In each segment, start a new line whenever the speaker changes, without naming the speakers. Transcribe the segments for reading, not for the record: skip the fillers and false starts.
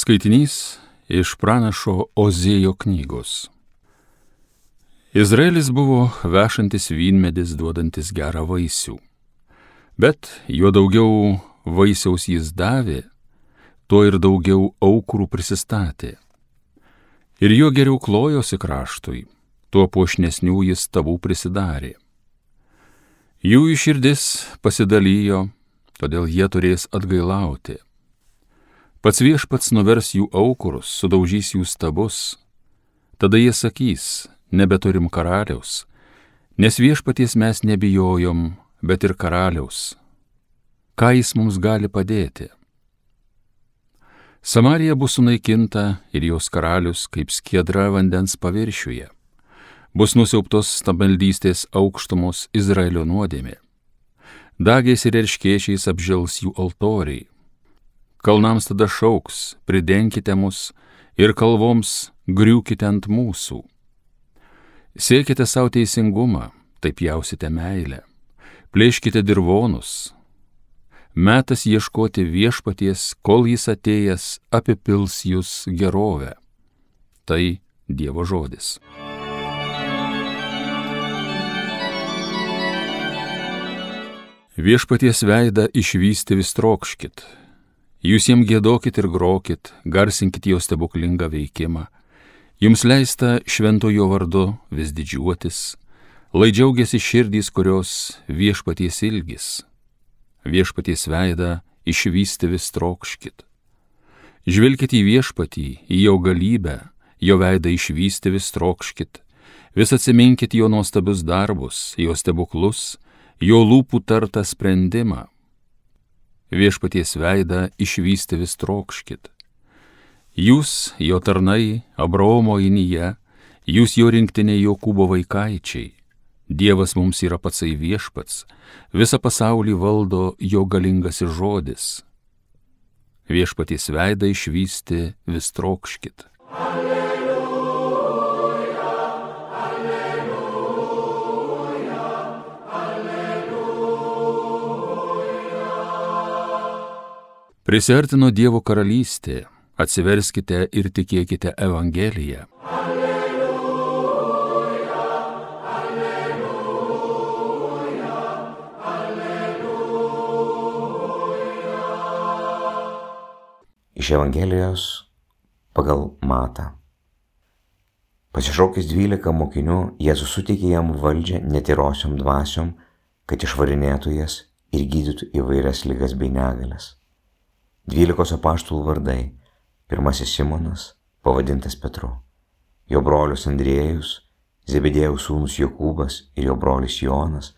Skaitinys iš pranašo Ozėjo knygos. Izraelis buvo vešantis vynmedis duodantis gerą vaisių, bet juo daugiau vaisiaus jis davė, tuo ir daugiau aukurų prisistatė. Ir juo geriau klojosi kraštui, tuo puošnesnių jis stabų prisidarė. Jų širdis pasidalijo, todėl jie turės atgailauti. Pats Viešpats nuvers jų aukurus, sudaužys jų stabus. Tada jie sakys, nebeturim karaliaus, nes Viešpaties mes nebijojom, bet ir karaliaus. Ką jis mums gali padėti? Samarija bus sunaikinta ir jos karalius kaip skiedra vandens paviršiuje. Bus nusiaubtos stabmeldystės aukštumos Izraelio nuodėmė. Dagės ir erškėčiais apžels jų altoriai. Kalnams tada šauks, pridenkite mus, ir kalvoms griūkite ant mūsų. Siekite savo teisingumą, taip jausite meilę, plėškite dirvonus. Metas ieškoti Viešpaties, kol jis atėjęs apipils jūs gerovę. Tai Dievo žodis. Viešpaties veidą išvysti vis trokškit. Jūs jiem giedokit ir grokit, garsinkit jo stebuklingą veikimą. Jums leista šventojo vardu vis didžiuotis, lai džiaugiasi širdys, kurios Viešpaties ilgis. Viešpaties veidą išvysti vis trokškit. Žvelkit į Viešpatį, į jo galybę, jo veidą išvysti vis trokškit. Vis atsiminkit jo nuostabius darbus, jo stebuklus, jo lūpų tartą sprendimą. Viešpaties veidą išvysti vis trokškit. Jūs, jo tarnai, Abraomo inyje, jūs jo rinktiniai Jokūbo vaikaičiai. Dievas mums yra patsai Viešpats, visą pasaulį valdo jo galingasis žodis. Viešpaties veidą išvysti vis trokškit. Prisiartino Dievo karalystė, atsiverskite ir tikėkite Evangeliją.
Alleluja, alleluja, alleluja.
Iš Evangelijos pagal Matą. Pasišaukęs 12 mokinių, Jėzus suteikė jam valdžią netyrosiom dvasiom, kad išvarinėtų jas ir gydytų įvairias ligas bei negalias. 12 apaštalų vardai. Pirmasis Simonas, pavadintas Petru, jo brolius Andriejus, Zebedėjaus sūnus Jokūbas ir jo brolis Jonas,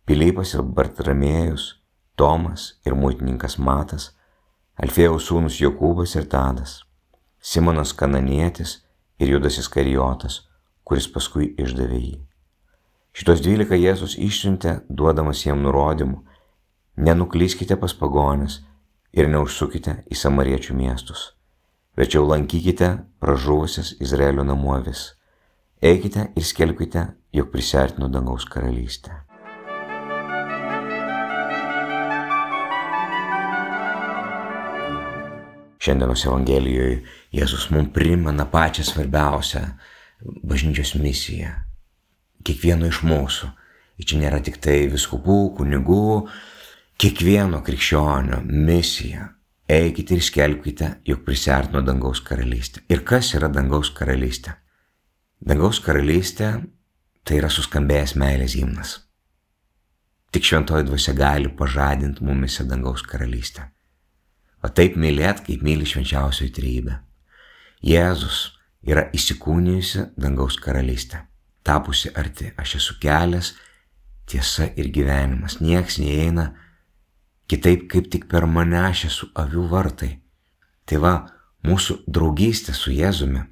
Pilypas ir Bartramėjus, Tomas ir muitininkas Matas, Alfėjaus sūnus Jokūbas ir Tadas, Simonas Kananietis ir Judas Iskarijotas, kuris paskui išdavė jį. Šitos 12 Jėzus išsiuntė, duodamas jiem nurodymų: nenuklyskite pas pagonis ir neužsukite į samariečių miestus, verčiau lankykite pražuvusias Izraelio namų avis. Eikite ir skelbkite, jog prisiartino dangaus karalystė. Šiandienos Evangelijoje Jėzus mums primena pačią svarbiausią bažnyčios misiją. Kiekvieno iš mūsų. Ir čia nėra tik tai vyskupų, kunigų, kiekvieno krikščionio misija. Eikite ir skelbkite, jog prisiartino dangaus karalystė. Ir kas yra dangaus karalystė? Dangaus karalystė tai yra suskambėjęs meilės himnas. Tik šventoji dvasia gali pažadinti mumise dangaus karalystę. O taip mylėt, kaip myli švenčiausioji trejybė. Jėzus yra įsikūnijusi dangaus karalystė, tapusi arti. Aš esu kelias, tiesa ir gyvenimas. Nieks neįeina kitaip, kaip tik per mane. Aš esu avių vartai. Tai va, mūsų draugystė su Jėzumi,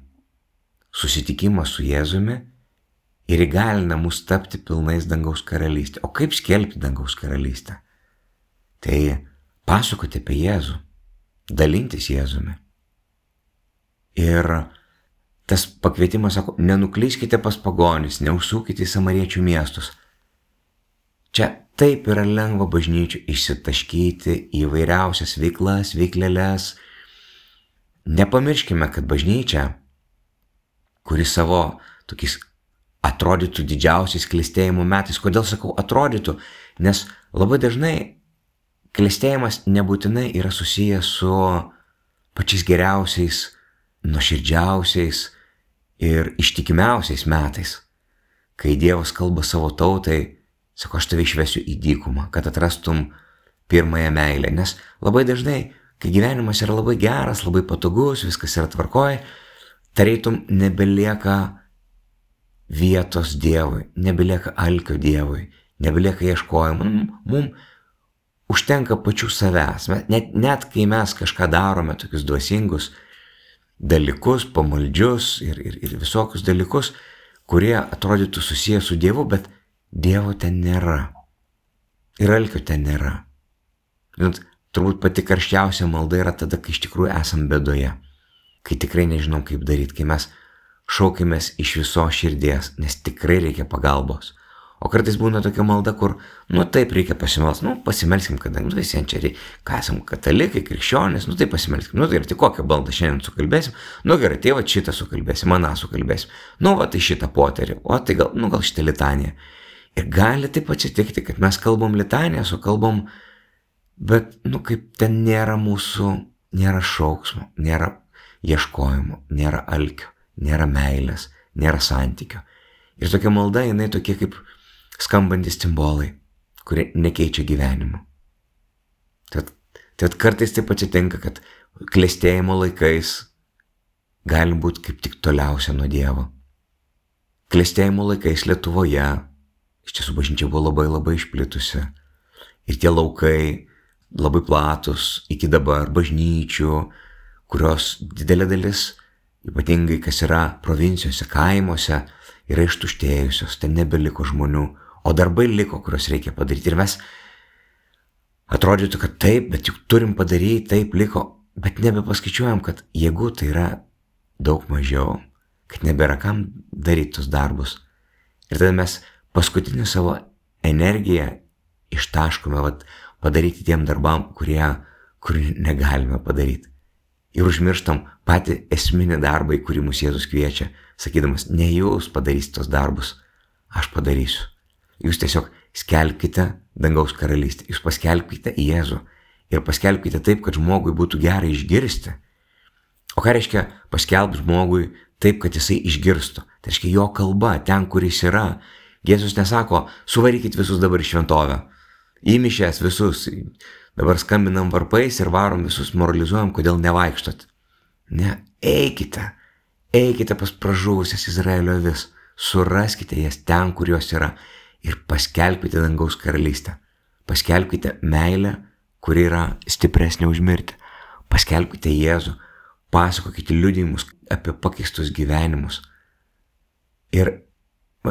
susitikimas su Jėzumi ir įgalina mus tapti pilnais dangaus karalystė. O kaip skelbti dangaus karalystę? Tai pasakoti apie Jėzų, dalintis Jėzumi. Ir tas pakvietimas sako, nenuklyskite pas pagonis, neužsukite į samariečių miestus. Čia taip yra lengva bažnyčių išsitaškyti į vairiausias veiklas, veiklelės, nepamirškime, kad bažnyčia, kuri savo tokiais atrodytų didžiausiais klestėjimo metais, kodėl sakau atrodytų, nes labai dažnai klestėjimas nebūtinai yra susijęs su pačiais geriausiais, nuoširdžiausiais ir ištikimiausiais metais, kai Dievas kalba savo tautai, sako, aš tave išvesiu į dykumą, kad atrastum pirmąją meilę, nes labai dažnai, kai gyvenimas yra labai geras, labai patogus, viskas yra tvarkoje, tarytum nebelieka vietos Dievui, nebelieka alkio Dievui, nebelieka ieškojimo. Mums užtenka pačių savęs. Net kai mes kažką darome, tokius dvasingus dalykus, pamaldžius ir visokius dalykus, kurie atrodytų susiję su Dievu, bet Dievo ten nėra. Ir alkio ten nėra. Turbūt pati karščiausia malda yra tada, kai iš tikrųjų esam bėdoje, kai tikrai nežinom kaip daryti, kai mes šaukimės iš viso širdies, nes tikrai reikia pagalbos. O kartais būna tokia malda, kur, taip reikia pasimelsti, pasimelskim, kadangi visiems čia reikia, ką esam katalikai, krikščionys, tai pasimelskim, tai ir tik kokią baldą šiandien sukalbėsim, gerai, tai va šitą sukalbėsim, aną sukalbėsim, tai šitą poterį, tai gal šitą litaniją. Ir gali taip atsitikti, kad mes kalbam litanijas, o kalbam, bet, kaip ten nėra mūsų, nėra šauksmo, nėra ieškojimo, nėra alkio, nėra meilės, nėra santykio. Ir tokia malda, jinai tokie kaip skambantis cimbolai, kurie nekeičia gyvenimo. Tad kartais taip atsitinka, kad klestėjimo laikais gali būti kaip tik toliausia nuo Dievo. Klestėjimo laikais Lietuvoje, iš tiesų bažnyčia buvo labai labai išplitusi. Ir tie laukai labai platus iki dabar bažnyčių, kurios didelė dalis, ypatingai kas yra provincijose, kaimuose, yra ištuštėjusios, ten nebeliko žmonių, o darbai liko, kuriuos reikia padaryti. Ir mes atrodytų, kad taip, bet juk turim padaryti, taip liko, bet nebepaskaičiuojam, kad jeigu tai yra daug mažiau, kad nebėra kam daryti tus darbus. Ir tada mes paskutinį savo energiją ištaškome padaryti tiem darbam, kurių negalime padaryti. Ir užmirštam patį esminį darbą, į kurį mūsų Jėzus kviečia, sakydamas, ne jūs padarysite tos darbus, aš padarysiu. Jūs tiesiog skelbkite dangaus karalystę, jūs paskelbkite Jėzų ir paskelbkite taip, kad žmogui būtų gerai išgirsti. O ką reiškia paskelbti žmogui taip, kad jisai išgirstų? Tai reiškia jo kalba, ten, kur jis yra. Jėzus nesako, suvarykit visus dabar į šventovę, įmišęs visus, dabar skambinam varpais ir varom visus, moralizuojam, kodėl nevaikštot. Ne, eikite pas pražuvusias Izraelio avis, suraskite jas ten, kur jos yra ir paskelbkite dangaus karalystę. Paskelbkite meilę, kuri yra stipresnė už mirtį. Paskelbkite Jėzų, pasakokite liudijimus apie pakeistus gyvenimus. Ir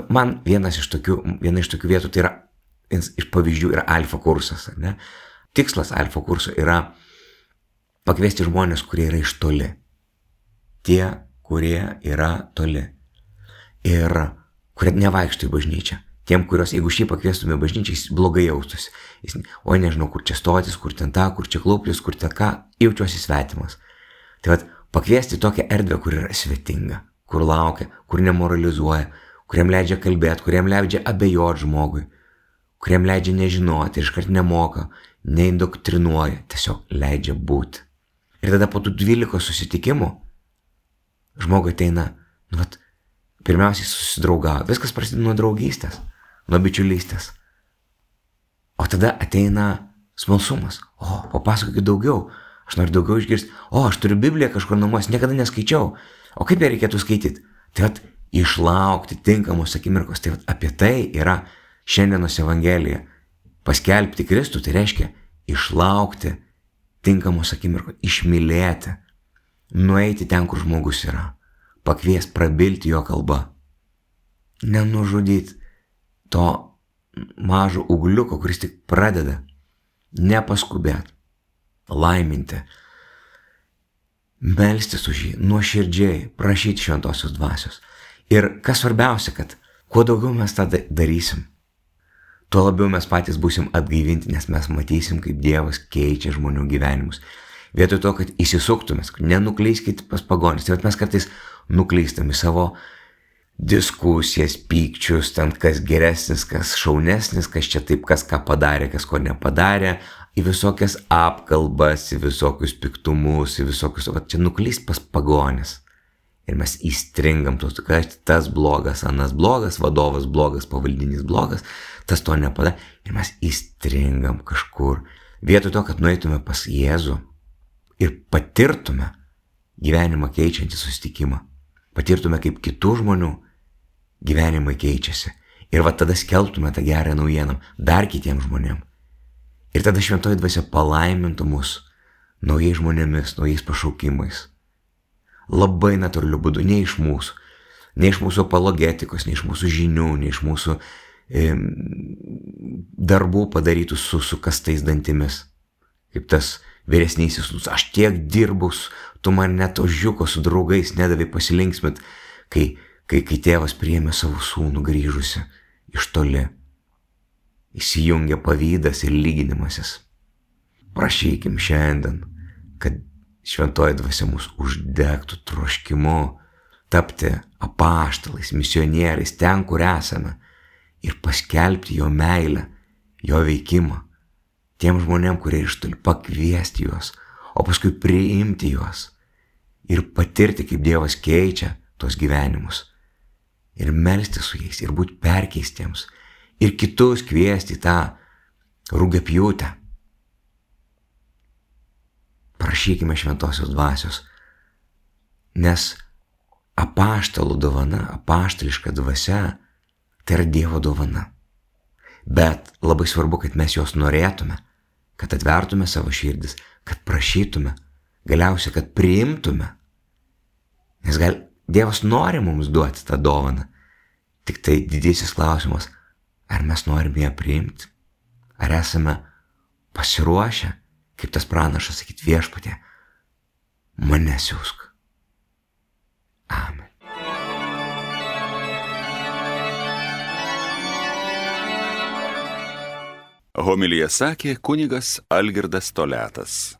man viena iš tokių vietų, tai yra, iš pavyzdžių yra alfa kursas, ne? Tikslas alfa kurso yra pakviesti žmonės, kurie yra iš toli. Tie, kurie yra toli. Ir kurie nevaikšto į bažnyčią. Tiem, kurios, jeigu šį pakviestume bažnyčią, jis blogai jaustųsi. Oi, nežinau, kur čia stotis, kur ten ta, kur čia klauptis, kur ten ką, jaučiuosi svetimas. Tai pakviesti tokią erdvę, kur yra svetinga, kur laukia, kur nemoralizuoja, kuriam leidžia kalbėti, kuriam leidžia abejoti žmogui, kuriam leidžia nežinoti ir iškart nemoka, neindoktrinuoja, tiesiog leidžia būti. Ir tada po tų 12 susitikimų žmogui ateina, pirmiausiai susidraugauja. Viskas prasideda nuo draugystės, nuo bičiulystės. O tada ateina smalsumas. Papasakokit daugiau, aš noriu daugiau išgirsti. Aš turiu Bibliją kažkur namuose, niekada neskaičiau. O kaip ją reikėtų skaityti? Tai išlaukti tinkamos akimirkos. Tai apie tai yra šiandienos Evangelija. Paskelbti Kristų, tai reiškia išlaukti tinkamos akimirkos, išmylėti, nueiti ten, kur žmogus yra, pakviesti prabilti jo kalba, nenužudyti to mažo ugliuko, kuris tik pradeda, nepaskubėti, laiminti, melstis už jį, nuoširdžiai prašyti šventosios dvasios. Ir kas svarbiausia, kad kuo daugiau mes tą darysim, tuo labiau mes patys būsim atgaivinti, nes mes matysim, kaip Dievas keičia žmonių gyvenimus. Vietoj to, kad įsisuktumės, nenuklyskite pas pagonis. Tai mes kartais nuklystam į savo diskusijas, pykčius, ten kas geresnis, kas šaunesnis, kas čia taip, kas ką padarė, kas ko nepadarė, į visokias apkalbas, į visokius piktumus, į visokius, va čia nuklyst pas pagonis. Ir mes įstringam, kad tas blogas, anas blogas, vadovas blogas, pavaldinys blogas, tas to nepadarė. Ir mes įstringam kažkur. Vietoj to, kad nueitume pas Jėzų ir patirtume gyvenimą keičiantį susitikimą, patirtume kaip kitų žmonių gyvenimai keičiasi. Ir va tada skelbtume tą gerą naujieną dar kitiems žmonėms. Ir tada šventoji dvasia palaimintų mus naujais žmonėmis, naujais pašaukimais. Labai natūraliu būdu, ne iš mūsų apologetikos, ne iš mūsų žinių, ne iš mūsų darbų padarytų su kastais dantimis. Kaip tas vyresnysis, aš tiek dirbus, tu man net ožiuko su draugais nedavai pasilinksmit, kai tėvas priėmė savo sūnų grįžusi iš toli. Įsijungia pavydas ir lyginimasis. Prašykim šiandien, kad šventoji dvasia mus uždegtų troškimu tapti apaštalais, misionieriais ten, kur esame ir paskelbti jo meilę, jo veikimą tiem žmonėm, kurie iš toli, pakviesti juos, o paskui priimti juos ir patirti, kaip Dievas keičia tos gyvenimus ir melstis su jais ir būti perkeistiems ir kitus kviesti į tą rugiapjūtę. Prašykime šventosios dvasios, nes apaštalų dovana, apaštališka dvasia, tai yra Dievo dovana. Bet labai svarbu, kad mes jos norėtume, kad atvertume savo širdis, kad prašytume, galiausiai, kad priimtume. Nes Dievas nori mums duoti tą dovaną. Tik tai didysis klausimas, ar mes norime ją priimti? Ar esame pasiruošę, kaip tas pranašas, sakyti viešpatie, mane siųsk. Amen.
Homiliją sakė kunigas Algirdas Toliatas.